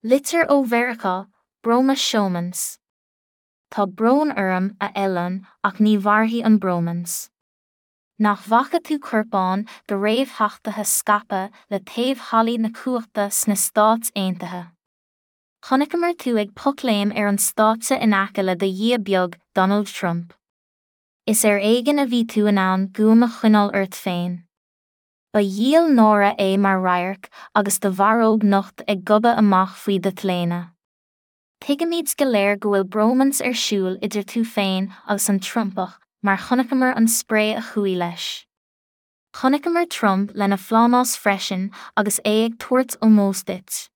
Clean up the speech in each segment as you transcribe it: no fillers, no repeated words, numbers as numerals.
Litir ó Mheiriceá, Broma Showmance. Tá brón orm, a Elon, ach ní mhairfidh an bromance. Nach bhfaca tú corpán de réamhtheachtaithe scaipthe le taobh hallaí na cumhachta sna Stáit Aontaithe? Chonaiceamar tú ag pocléim ar an stáitse in aice le do dhia beag, Donald Trump. Is ar éigean a bhí tú in ann guaim a choinneáil ort féin. Ba dhíol náire é mar radharc agus do bharróg nocht ag gobadh amach faoi do t-léine. Tuigimid go léir go bhfuil bromance ar siúl idir tú féin agus an Trumpach mar chonaiceamar an spré a chuaigh leis. Chonaiceamar Trump lena phlámás freisin agus é ag tabhairt ómóis duit.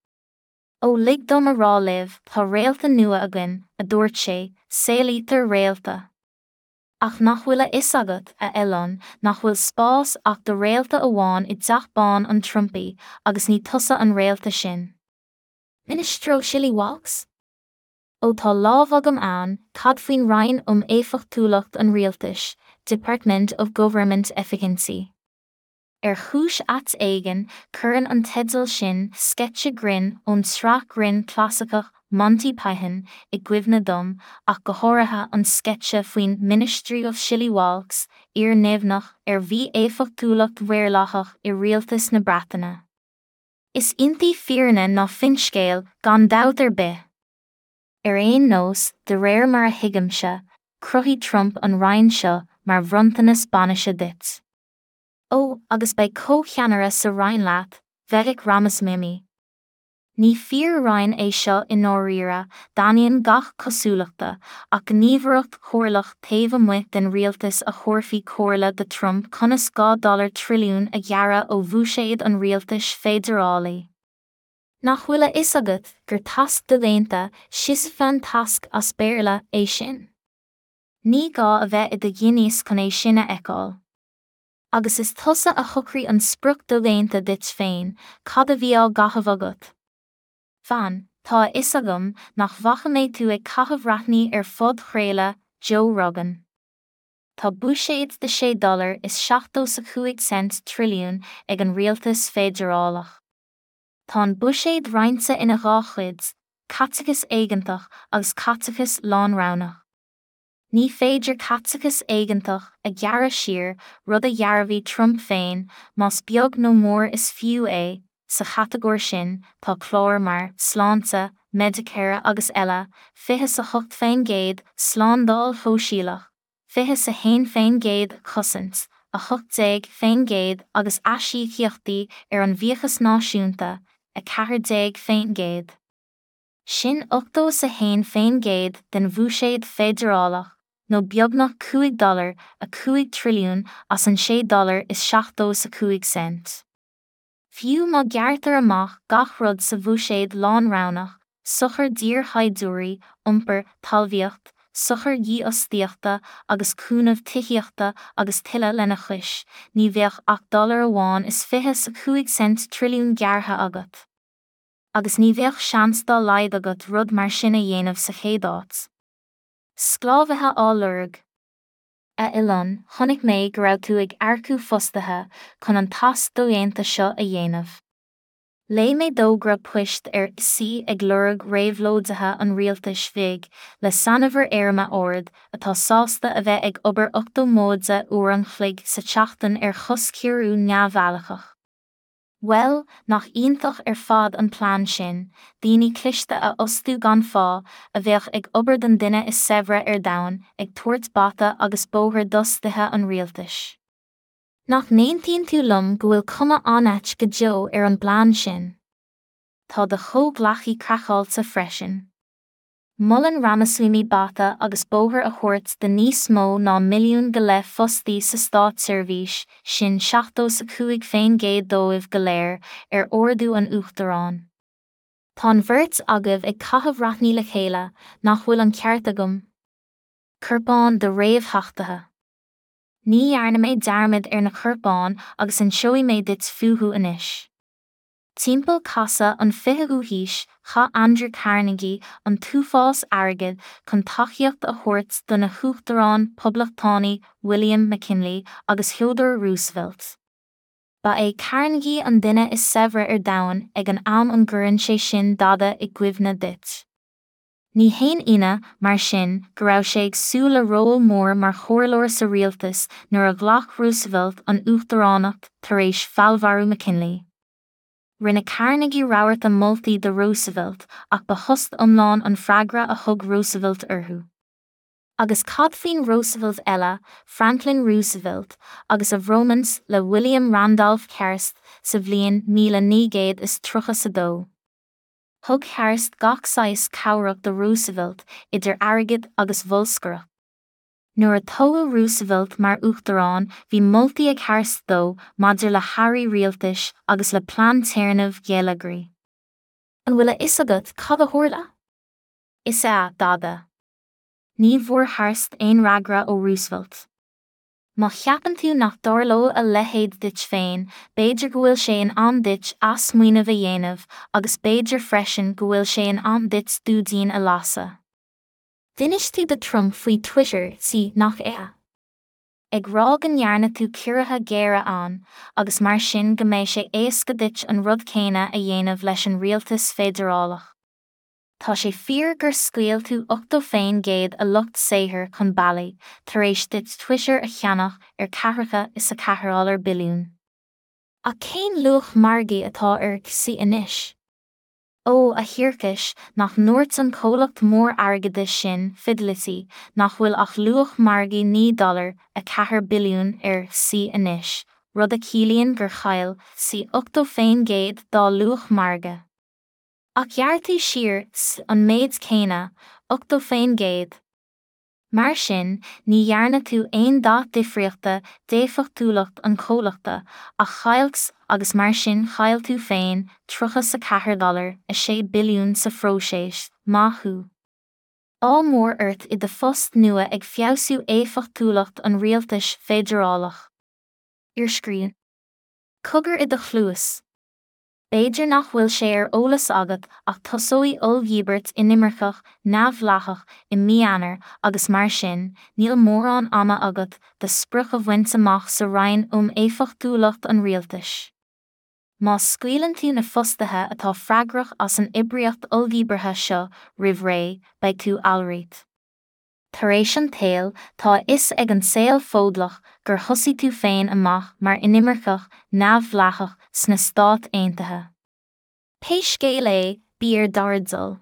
Ó lig dom a rá libh, tá réalta nua againn, a dúirt sé, saolaítear réalta. Ach nach bhfuil a fhios agat, a Elon, nach bhfuil spás ach do réalta amháin i dTeach Bán an Trumpaí agus ní tusa an réalta sin. Ministry of Shillywalks? Ó tá lámh agam ann, cad faoin Roinn um Éifeachtúlacht an Rialtais, Department of Government Efficiency? Ar chúis ait éigin, cuireann an teideal sin sceitse grinn ón tsraith grinn clasaiceach Monty Python i gcuimhne dom, ach go háirithe an sceitse faoin Ministry of Shillywalks, fhíorneamhneach ar mhí-éifeachtúlacht mhaorlathach i rialtas na Breataine. Is iontaí fírinne ná finscéal, gan dabht ar bith! Ar aon nós, de réir mar a thuigimse, chruthaigh Trump an roinn seo mar bhronntanas bainise duit. Ó, agus beidh comhcheannaire sa Roinn leat, Vivek Ramaswamy. Ní fíor-roinn é seo i ndáiríre, d'ainneoin gach cosúlachta, ach gníomhaireacht chomhairleach taobh amuigh den rialtas a thabharfaidh comhairle do Trump conas 2 dollar trilliún a ghearradh ó bhuiséad an rialtais feidearálaigh. Nach bhfuil a fhios agat gur tasc dodhéanta, Sisyphean task as Béarla, é sin? Ní gá a bheith i do ghinias chun é sin a fheiceáil. Agus is tusa a shocraigh an sprioc dodhéanta duit féin, cad a bhí á gcaitheamh agat? Fan, tá a fhios agam nach bhfaca mé tú ag caitheamh raithní ar phodchraoladh Joe Rogan. Tá buiséad de sé dollar is 75 cent trilliún ag an rialtas feidearálach. Tá an buiséad roinnte ina dhá chuid, caiteachas éigeantach agus caiteachas lánroghnach. Ní féidir caiteachas éigeantach a ghearradh siar, rud a dhearbhaigh Trump féin, más beag nó mór is fiú é, sa chatagóir sin tá cláir mar, sláinte, Medicare agus eile, 28%, slándáil shóisialach, 21%, cosaint, 18% agus aisíocaíochtaí ar an bhfiachas náisiúnta, 14%. Sin 81% den bhuiséad feidearálach, nó beagnach 5 dollar, 5 trilliún as an 6 dollar is 75 cent. Fiú má ghearrtar amach gach rud sa bhuiséad lánroghnach, sochair d'iarshaighdiúirí, iompar, talmhaíocht, sochair dhífhostaíochta agus cúnamh tithíochta agus tuilleadh lena chois, ní bheadh ach dollar amháin is 25 cent trilliún gearrtha agat. Agus ní bheadh seans dá laghad agat rud mar sin a dhéanamh sa chéad áit. Sclábhaithe á lorg. A Elon, chonaic mé go raibh tú ag earcú fostaithe chun an tasc dodhéanta seo a dhéanamh. Léigh mé d'fhógra poist ar C ag lorg réabhlóidithe an rialtais bhig, le sainuimhir éirime ard, atá sásta a bheith ag obair 80 móide uair an chloig sa tseachtain ar chostchiorrú neamhfhailleach. Bhuel, nach iontach ar fad an plean sin, daoine cliste a fhostú gan phá, a bheadh ag obair don duine is saibhre ar domhan, ag tabhairt bata agus bóthar d'fhostaithe an rialtais. Nach n-aontaíonn tú liom go bhfuil cuma an-ait go deo ar an bplean sin? Tá do chomhghleacaí craiceáilte freisin. Molann Ramaswamy bata agus bóthar a thabhairt do níos mó ná milliún go leith fostaí sa státseirbhís, sin 75% dóibh go léir, ar ordú an Uachtaráin. Tá an bheirt agaibh ag caitheamh raithní le chéile, nach bhfuil an ceart agam? Corpán de réamhtheachtaithe. Ní dhearna mé dearmad ar na corpáin agus inseoidh mé duit fúthu anois. Timpeall casadh an 20ú haois, chaith Andrew Carnegie an t-uafás airgid chun tacaíocht a thabhairt do na huachtaráin Poblachtánaigh William McKinley agus Theodore Roosevelt. Ba é Carnegie an duine is saibhre ar domhan ag an am an gcuireann sé sin dada i gcuimhne duit? Ní haon ionadh, mar sin, go raibh sé ag súil le ról mór mar chomhairleoir sa rialtas nuair a ghlac Roosevelt an uachtaránacht tar éis feallmharú McKinley. Rinne Carnegie rabharta moltaí do Roosevelt ach ba thost iomlán an freagra a thug Roosevelt orthu. Agus cad faoin Roosevelt eile, Franklin Roosevelt, agus a bhromance le William Randolph Hearst sa bhliain 1932? Thug Hearst gach saghas cabhrach do Roosevelt, idir airgead agus bholscaireacht. Nuair a toghadh Roosevelt mar uachtarán bhí moltaí ag Hearst dó maidir le hairí rialtais agus le plean téarnaimh gheilleagraigh. An bhfuil a fhios agat cad a tharla? Is ea, dada. Ní bhfuair Hearst aon fhreagra ó Roosevelt. Má cheapann tú nach dtarlóidh a leithéid duit féin, b'fhéidir go bhfuil sé in am duit athsmaoineamh a dhéanamh agus b'fhéidir freisin go bhfuil sé in am duit dúidín a lasadh. D'inis tú do Trump faoi Twitter, sea, nach ea? Ag rá go ndearna tú ciorruithe géara ann agus mar sin go mbeidh sé éasca duit an rud céanna a dhéanamh leis an rialtas feidearálach. Tá sé fíor gur scaoil tú 80% a lucht saothair chun bealaigh tar éis duit Twitter a cheannach ar ceathracha is a ceathair dollar billiún. Ach cén luach margaidh atá ar X anois? Ó, a thiarcais, nach ndúirt an comhlacht mór airgeadais sin, Fidelity, nach bhfuil ach luach margaidh 9 dollar, 4 billiún ar X anois, rud a chiallaíonn gur chaill X 80% dá luach margaidh. Ach ghearr tú siar an méid céanna, 80%. Mar sin, ní dhearna tú aon dath difríochta d'éifeachtúlacht an chomhlachta, ach chaill X agus mar sin chaill tú féin 34 dollar, 6 billiún sa phróiseas, maith thú. Ádh mór ort i do phost nua ag feabhsú éifeachtúlacht an rialtais feidearálach. Iarscríbhinn. Cogar i do chluas. B'fhéidir nach bhfuil sé ar eolas agat ach tosóidh olldhíbirt inimirceach neamhdhleathach i mí Eanáir agus mar sin, níl mórán ama agat do sprioc a bhaint amach sa Roinn um Éifeachtúlacht an Rialtais. Má scaoileann tú na fostaithe atá freagrach as an oibríocht olldhíbeartha seo roimh ré, beidh tú alright. Tar éis an tsaoil, tá a fhios ag an saol Fódlach gur thosaigh tú féin amach mar inimirceach neamhdhleathach sna Stáit Aontaithe. Pé scéal é, bí ar d'airdeall.